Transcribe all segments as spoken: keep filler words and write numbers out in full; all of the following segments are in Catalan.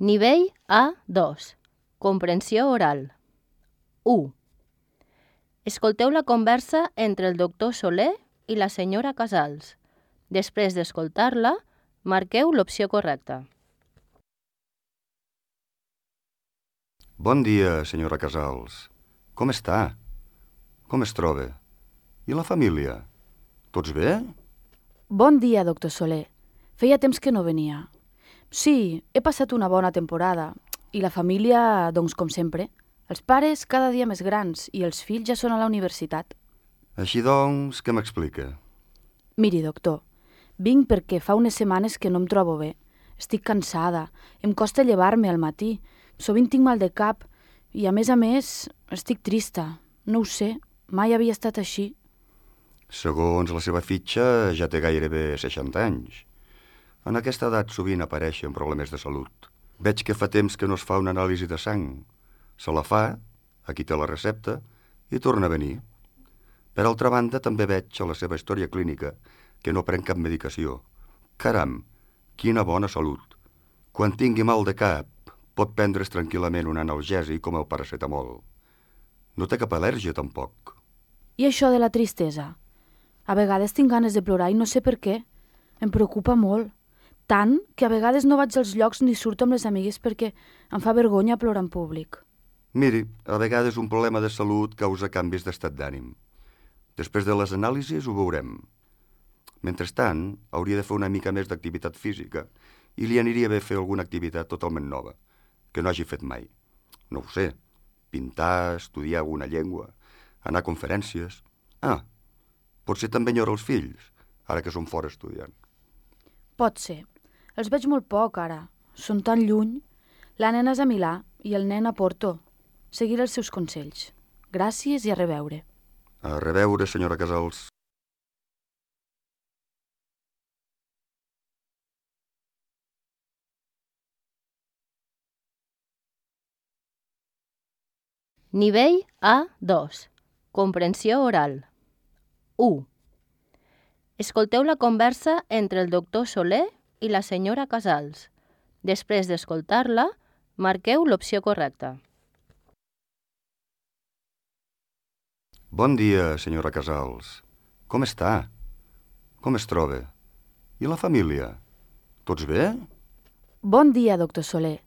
Nivell A dos. Comprensió oral. u. Escolteu la conversa entre el doctor Soler i la senyora Casals. Després d'escoltar-la, marqueu l'opció correcta. Bon dia, senyora Casals. Com està? Com es troba? I la família? Tots bé? Bon dia, doctor Soler. Feia temps que no venia. Sí, he passat una bona temporada. I la família, doncs, com sempre. Els pares cada dia més grans i els fills ja són a la universitat. Així doncs, què m'explica? Miri, doctor, vinc perquè fa unes setmanes que no em trobo bé. Estic cansada, em costa llevar-me al matí, sovint tinc mal de cap i, a més a més, estic trista. No ho sé, mai havia estat així. Segons la seva fitxa, ja té gairebé seixanta anys. En aquesta edat sovint apareixen problemes de salut. Veig que fa temps que no es fa una anàlisi de sang. Se la fa, aquí té la recepta, i torna a venir. Per altra banda, també veig a la seva història clínica que no pren cap medicació. Caram, quina bona salut! Quan tingui mal de cap, pot prendre's tranquil·lament un analgèsic com el paracetamol. No té cap al·lèrgia, tampoc. I això de la tristesa? A vegades tinc ganes de plorar i no sé per què. Em preocupa molt. Tant que a vegades no vaig als llocs ni surto amb les amigues perquè em fa vergonya plorar en públic. Miri, a vegades un problema de salut causa canvis d'estat d'ànim. Després de les anàlisis ho veurem. Mentrestant, hauria de fer una mica més d'activitat física i li aniria bé fer alguna activitat totalment nova, que no hagi fet mai. No ho sé, pintar, estudiar alguna llengua, anar a conferències... Ah, potser també enyora els fills, ara que són fora estudiant. Pot ser. Els veig molt poc, ara. Són tan lluny. La nena és a Milà i el nen a Porto. Seguiré els seus consells. Gràcies i a reveure. A reveure, senyora Casals. Nivell A dos. Comprensió oral. u. Escolteu la conversa entre el doctor Soler i la senyora Casals. Després d'escoltar-la, marqueu l'opció correcta. Bon dia, senyora Casals. Com està? Com es troba? I la família? Tots bé? Bon dia, doctor Soler.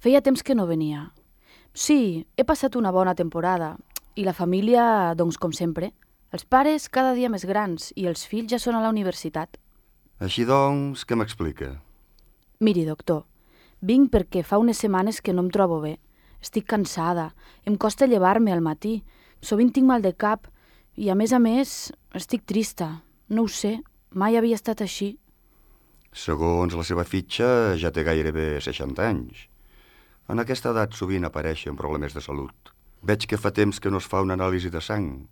Feia temps que no venia. Sí, he passat una bona temporada. I la família, doncs, com sempre. Els pares cada dia més grans i els fills ja són a la universitat. Així doncs, què m'explica? Miri, doctor, vinc perquè fa unes setmanes que no em trobo bé. Estic cansada, em costa llevar-me al matí, sovint tinc mal de cap i, a més a més, estic trista. No ho sé, mai havia estat així. Segons la seva fitxa, ja té gairebé seixanta anys. En aquesta edat sovint apareixen problemes de salut. Veig que fa temps que no es fa una anàlisi de sang.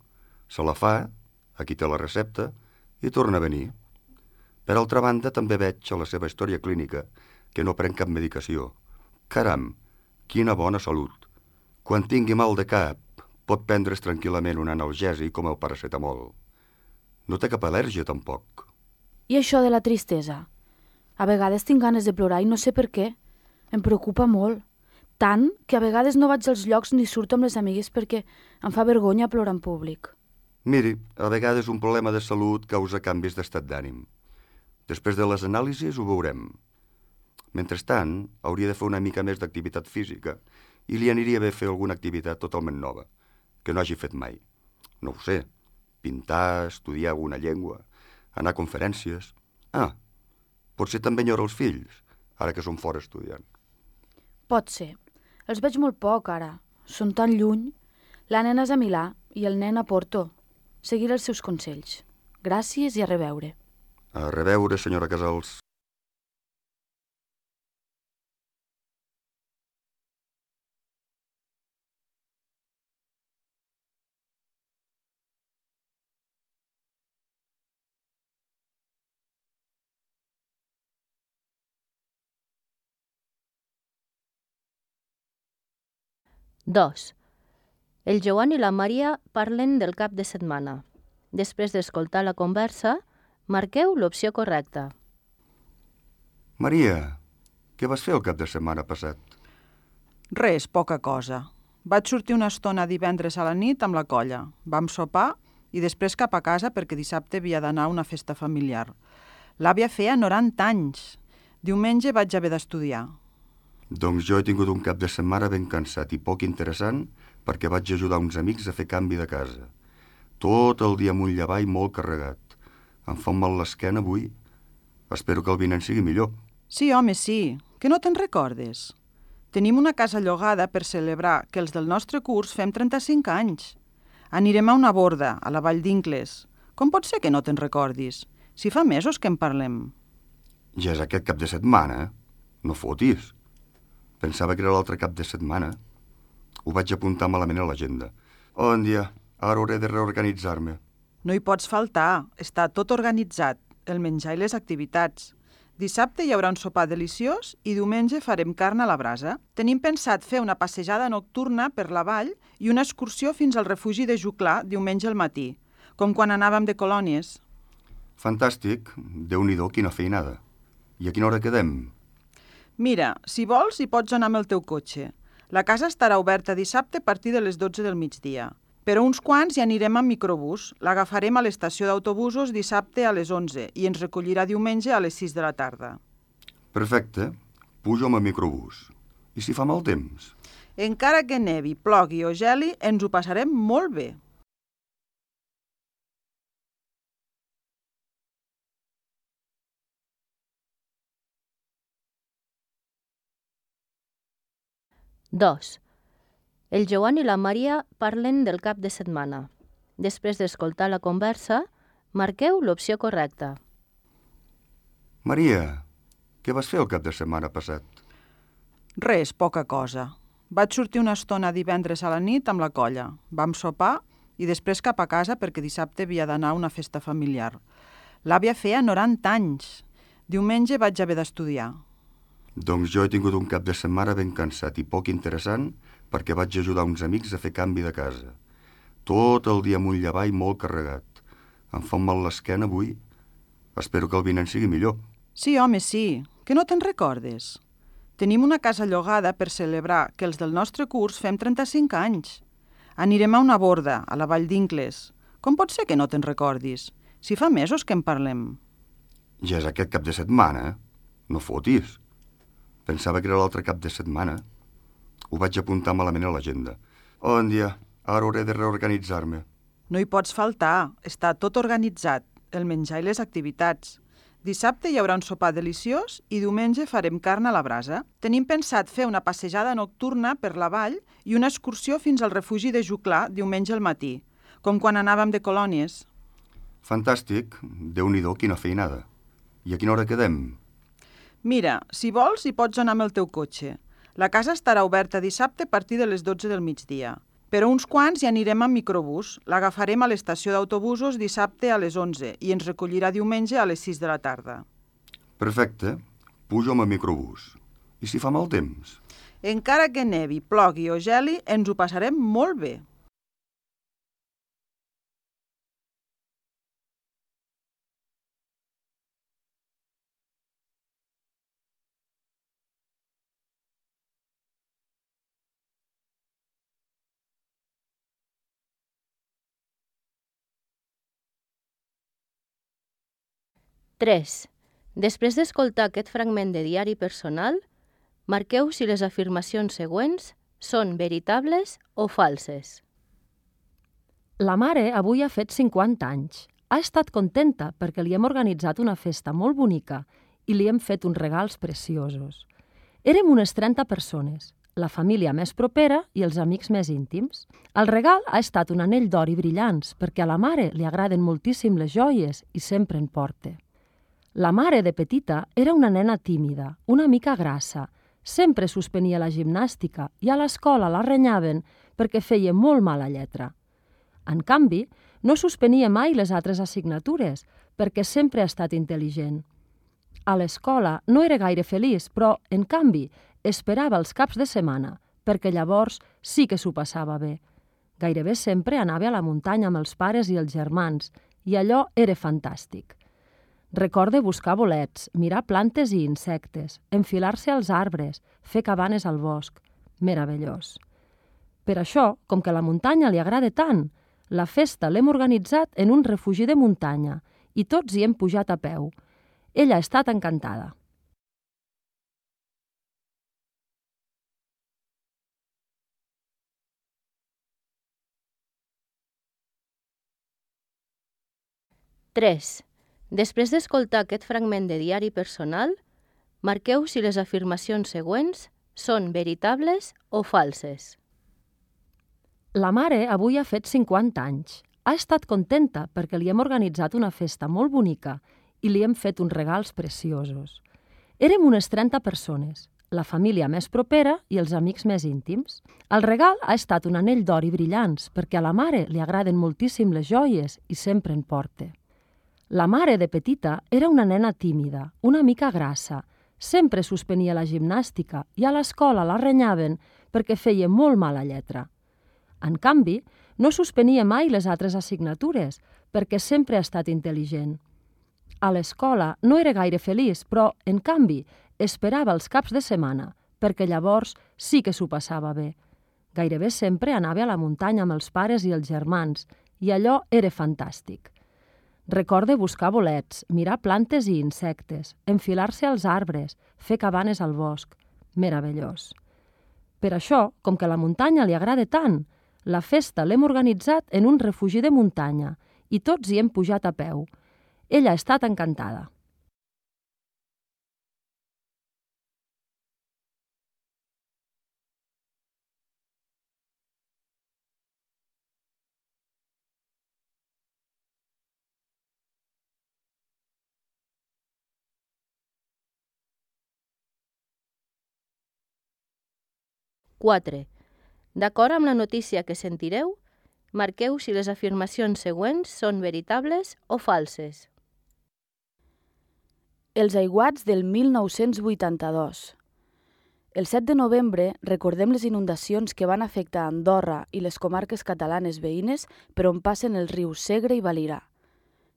Se la fa, aquí té la recepta, i torna a venir. Per altra banda, també veig a la seva història clínica que no pren cap medicació. Caram, quina bona salut! Quan tingui mal de cap, pot prendre's tranquil·lament un analgèsic com el paracetamol. No té cap al·lèrgia, tampoc. I això de la tristesa? A vegades tinc ganes de plorar i no sé per què. Em preocupa molt. Tant que a vegades no vaig als llocs ni surto amb les amigues perquè em fa vergonya plorar en públic. Miri, a vegades un problema de salut causa canvis d'estat d'ànim. Després de les anàlisis ho veurem. Mentrestant, hauria de fer una mica més d'activitat física i li aniria bé fer alguna activitat totalment nova, que no hagi fet mai. No ho sé, pintar, estudiar alguna llengua, anar a conferències... Ah, potser també enyora els fills, ara que són fora estudiant. Pot ser. Els veig molt poc, ara. Són tan lluny. La nena és a Milà i el nen a Porto. Seguiré els seus consells. Gràcies i a reveure. A reveure, senyora Casals. dos. El Joan i la Maria parlen del cap de setmana. Després d'escoltar la conversa, marqueu l'opció correcta. Maria, Què vas fer el cap de setmana passat? Res, poca cosa. Vaig sortir una estona divendres a la nit amb la colla. Vam sopar i després cap a casa perquè dissabte havia d'anar a una festa familiar. L'àvia feia noranta anys. Diumenge vaig haver d'estudiar. Doncs jo he tingut un cap de setmana ben cansat i poc interessant perquè vaig ajudar uns amics a fer canvi de casa. Tot el dia amunt i avall molt carregat. Em fa un mal l'esquena avui. Espero que el vinent sigui millor. Sí, home, sí. Que no te'n recordes? Tenim una casa llogada per celebrar que els del nostre curs fem trenta-cinc anys. Anirem a una borda, a la Vall d'Incles. Com pot ser que no te'n recordis? Si fa mesos que en parlem. Ja és aquest cap de setmana. No fotis. Pensava que era l'altre cap de setmana. Ho vaig apuntar malament a l'agenda. Bon dia. Ara hauré de reorganitzar-me. No hi pots faltar. Està tot organitzat. El menjar i les activitats. Dissabte hi haurà un sopar deliciós i diumenge farem carn a la brasa. Tenim pensat fer una passejada nocturna per la vall i una excursió fins al refugi de Juclar diumenge al matí, com quan anàvem de colònies. Fantàstic. Déu-n'hi-do, quina feinada. I a quina hora quedem? Mira, si vols hi pots anar amb el teu cotxe. La casa estarà oberta dissabte a partir de les dotze del migdia. Però uns quants hi anirem amb microbús. L'agafarem a l'estació d'autobusos dissabte a les onze i ens recollirà diumenge a les sis de la tarda. Perfecte. Pujo amb el microbús. I si fa mal temps? Encara que nevi, plogui o geli, ens ho passarem molt bé. dos. El Joan i la Maria parlen del cap de setmana. Després d'escoltar la conversa, marqueu l'opció correcta. Maria, què vas fer el cap de setmana passat? Res, poca cosa. Vaig sortir una estona divendres a la nit amb la colla. Vam sopar i després cap a casa perquè dissabte havia d'anar a una festa familiar. L'àvia feia noranta anys. Diumenge vaig haver d'estudiar. Doncs jo he tingut un cap de setmana ben cansat i poc interessant perquè vaig ajudar uns amics a fer canvi de casa. Tot el dia amunt i avall molt carregat. Em fa un mal l'esquena avui. Espero que el vinent sigui millor. Sí, home, sí. Que no te'n recordes? Tenim una casa llogada per celebrar que els del nostre curs fem trenta-cinc anys. Anirem a una borda, a la Vall d'Incles. Com pot ser que no te'n recordis? Si fa mesos que en parlem. Ja és aquest cap de setmana. No fotis. Pensava que era l'altre cap de setmana. Ho vaig apuntar malament a l'agenda. Bon dia. Ara hauré de reorganitzar-me. No hi pots faltar. Està tot organitzat. El menjar i les activitats. Dissabte hi haurà un sopar deliciós i diumenge farem carn a la brasa. Tenim pensat fer una passejada nocturna per la vall i una excursió fins al refugi de Juclar diumenge al matí, com quan anàvem de colònies. Fantàstic. Déu-n'hi-do, quina feinada. I a quina hora quedem? Mira, si vols hi pots anar amb el teu cotxe. La casa estarà oberta dissabte a partir de les dotze del migdia. Però uns quants hi anirem amb microbús. L'agafarem a l'estació d'autobusos dissabte a les onze i ens recollirà diumenge a les sis de la tarda. Perfecte. Pujo amb el microbús. I si fa mal temps? Encara que nevi, plogui o geli, ens ho passarem molt bé. tres. Després d'escoltar aquest fragment de diari personal, marqueu si les afirmacions següents són veritables o falses. La mare avui ha fet cinquanta anys. Ha estat contenta perquè li hem organitzat una festa molt bonica i li hem fet uns regals preciosos. Érem unes trenta persones, la família més propera i els amics més íntims. El regal ha estat un anell d'or i brillants perquè a la mare li agraden moltíssim les joies i sempre en porta. La mare, de petita, era una nena tímida, una mica grassa. Sempre suspenia la gimnàstica i a l'escola la renyaven perquè feia molt mala lletra. En canvi, no suspenia mai les altres assignatures perquè sempre ha estat intel·ligent. A l'escola no era gaire feliç, però, en canvi, esperava els caps de setmana perquè llavors sí que s'ho passava bé. Gairebé sempre anava a la muntanya amb els pares i els germans i allò era fantàstic. Recorde buscar bolets, mirar plantes i insectes, enfilar-se als arbres, fer cabanes al bosc. Meravellós. Per això, com que la muntanya li agrada tant, la festa l'hem organitzat en un refugi de muntanya i tots hi hem pujat a peu. Ella ha estat encantada. tres. Després d'escoltar aquest fragment de diari personal, marqueu si les afirmacions següents són veritables o falses. La mare avui ha fet cinquanta anys. Ha estat contenta perquè li hem organitzat una festa molt bonica i li hem fet uns regals preciosos. Érem unes trenta persones, la família més propera i els amics més íntims. El regal ha estat un anell d'or i brillants perquè a la mare li agraden moltíssim les joies i sempre en porta. La mare, de petita, era una nena tímida, una mica grassa. Sempre suspenia la gimnàstica i a l'escola la renyaven perquè feia molt mala lletra. En canvi, no suspenia mai les altres assignatures perquè sempre ha estat intel·ligent. A l'escola no era gaire feliç, però, en canvi, esperava els caps de setmana perquè llavors sí que s'ho passava bé. Gairebé sempre anava a la muntanya amb els pares i els germans i allò era fantàstic. Recorde buscar bolets, mirar plantes i insectes, enfilar-se als arbres, fer cabanes al bosc. Meravellós. Per això, com que la muntanya li agrada tant, la festa l'hem organitzat en un refugi de muntanya i tots hi hem pujat a peu. Ella ha estat encantada. quatre. D'acord amb la notícia que sentireu, marqueu si les afirmacions següents són veritables o falses. Els aiguats del mil nou-cents vuitanta-dos. El set de novembre recordem les inundacions que van afectar Andorra i les comarques catalanes veïnes per on passen els rius Segre i Valira.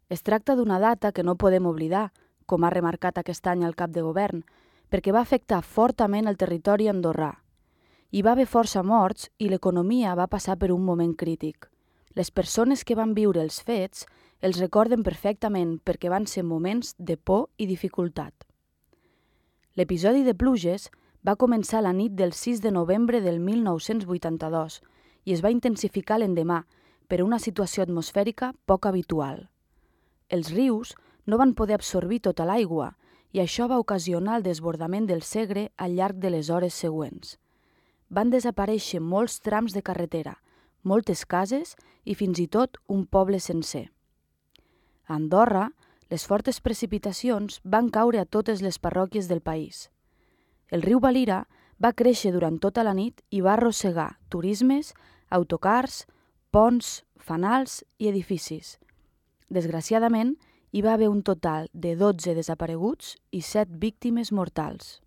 Es tracta d'una data que no podem oblidar, com ha remarcat aquest any el cap de govern, perquè va afectar fortament el territori andorrà. Hi va haver força morts i l'economia va passar per un moment crític. Les persones que van viure els fets els recorden perfectament perquè van ser moments de por i dificultat. L'episodi de pluges va començar la nit del sis de novembre del mil nou-cents vuitanta-dos i es va intensificar l'endemà per una situació atmosfèrica poc habitual. Els rius no van poder absorbir tota l'aigua i això va ocasionar el desbordament del Segre al llarg de les hores següents. Van desaparèixer molts trams de carretera, moltes cases i fins i tot un poble sencer. A Andorra, les fortes precipitacions van caure a totes les parròquies del país. El riu Valira va créixer durant tota la nit i va arrossegar turismes, autocars, ponts, fanals i edificis. Desgraciadament, hi va haver un total de dotze desapareguts i set víctimes mortals.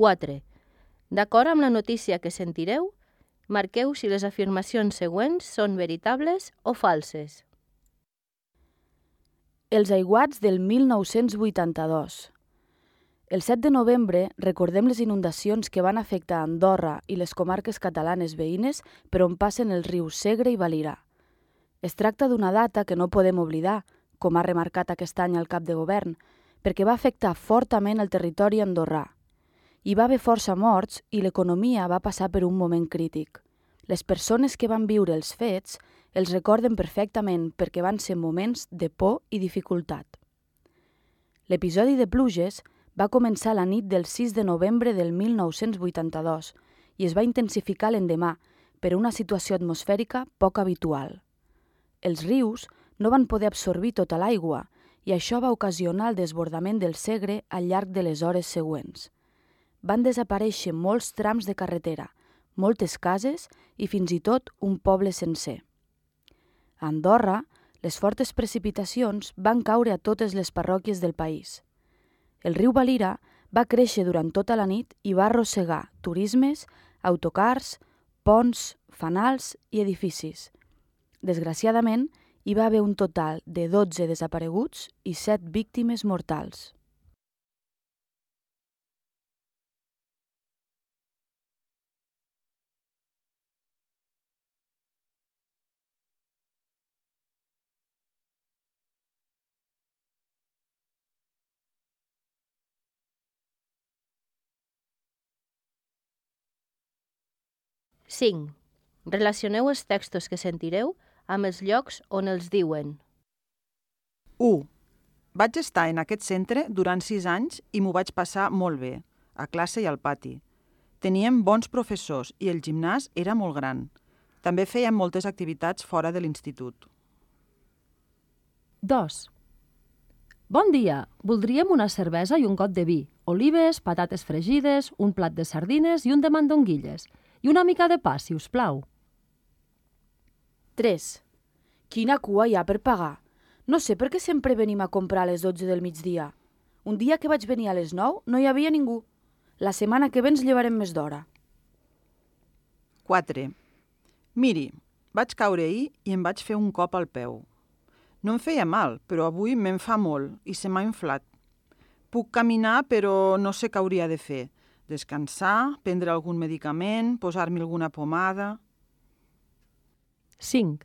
quatre. D'acord amb la notícia que sentireu, marqueu si les afirmacions següents són veritables o falses. Els aiguats del mil nou-cents vuitanta-dos. El set de novembre recordem les inundacions que van afectar Andorra i les comarques catalanes veïnes per on passen els rius Segre i Valira. Es tracta d'una data que no podem oblidar, com ha remarcat aquest any el cap de govern, perquè va afectar fortament el territori andorrà. Hi va haver força morts i l'economia va passar per un moment crític. Les persones que van viure els fets els recorden perfectament perquè van ser moments de por i dificultat. L'episodi de pluges va començar la nit del sis de novembre del mil nou-cents vuitanta-dos i es va intensificar l'endemà per una situació atmosfèrica poc habitual. Els rius no van poder absorbir tota l'aigua i això va ocasionar el desbordament del Segre al llarg de les hores següents. Van desaparèixer molts trams de carretera, moltes cases i fins i tot un poble sencer. A Andorra, les fortes precipitacions van caure a totes les parròquies del país. El riu Valira Va créixer durant tota la nit i va arrossegar turismes, autocars, ponts, fanals i edificis. Desgraciadament, hi va haver un total de dotze desapareguts i set víctimes mortals. cinc. Relacioneu els textos que sentireu amb els llocs on els diuen. u. Vaig estar en aquest centre durant sis anys i m'ho vaig passar molt bé, a classe i al pati. Teníem bons professors i el gimnàs era molt gran. També fèiem moltes activitats fora de l'institut. dos. Bon dia, voldríem una cervesa i un got de vi, olives, patates fregides, un plat de sardines i un de mandonguilles. I una mica de pa, si us plau. tres. Quina cua hi ha per pagar? No sé per què sempre venim a comprar a les dotze del migdia. Un dia que vaig venir a les nou no hi havia ningú. La setmana que ve ens llevarem més d'hora. quatre. Miri, vaig caure ahir i em vaig fer un cop al peu. No em feia mal, però avui me'n fa molt i se m'ha inflat. Puc caminar, però no sé què hauria de fer. Descansar, prendre algun medicament, posar-me alguna pomada... cinc.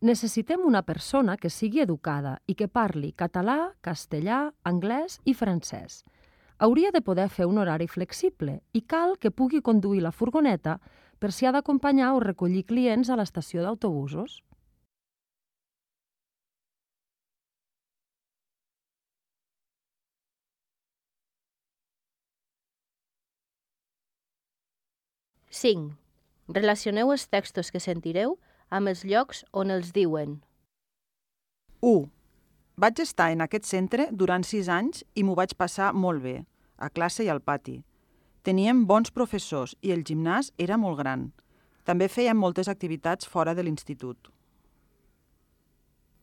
Necessitem una persona que sigui educada i que parli català, castellà, anglès i francès. Hauria de poder fer un horari flexible i cal que pugui conduir la furgoneta per si ha d'acompanyar o recollir clients a l'estació d'autobusos. cinc. Relacioneu els textos que sentireu amb els llocs on els diuen. u. Vaig estar en aquest centre durant sis anys i m'ho vaig passar molt bé, a classe i al pati. Teníem bons professors i el gimnàs era molt gran. També fèiem moltes activitats fora de l'institut.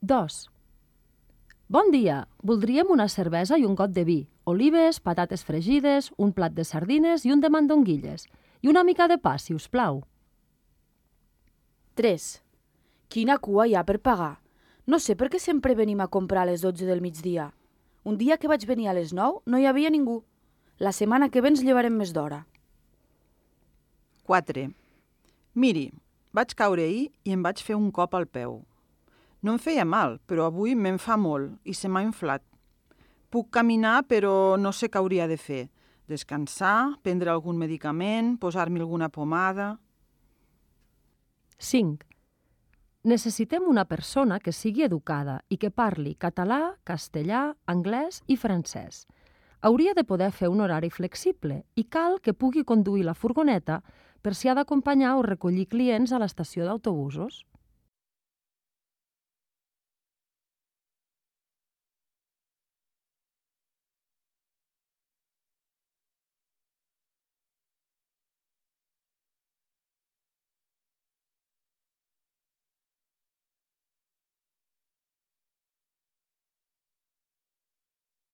dos. Bon dia, voldríem una cervesa i un got de vi, olives, patates fregides, un plat de sardines i un de mandonguilles. I una mica de pa, si us plau. tres. Quina cua hi ha per pagar? No sé per què sempre venim a comprar a les dotze del migdia. Un dia que vaig venir a les nou no hi havia ningú. La setmana que ve ens llevarem més d'hora. quatre. Miri, vaig caure ahir i em vaig fer un cop al peu. No em feia mal, però avui me'n fa molt i se m'ha inflat. Puc caminar, però no sé què hauria de fer. Descansar, prendre algun medicament, posar-me alguna pomada... cinc. Necessitem una persona que sigui educada i que parli català, castellà, anglès i francès. Hauria de poder fer un horari flexible i cal que pugui conduir la furgoneta per si ha d'acompanyar o recollir clients a l'estació d'autobusos.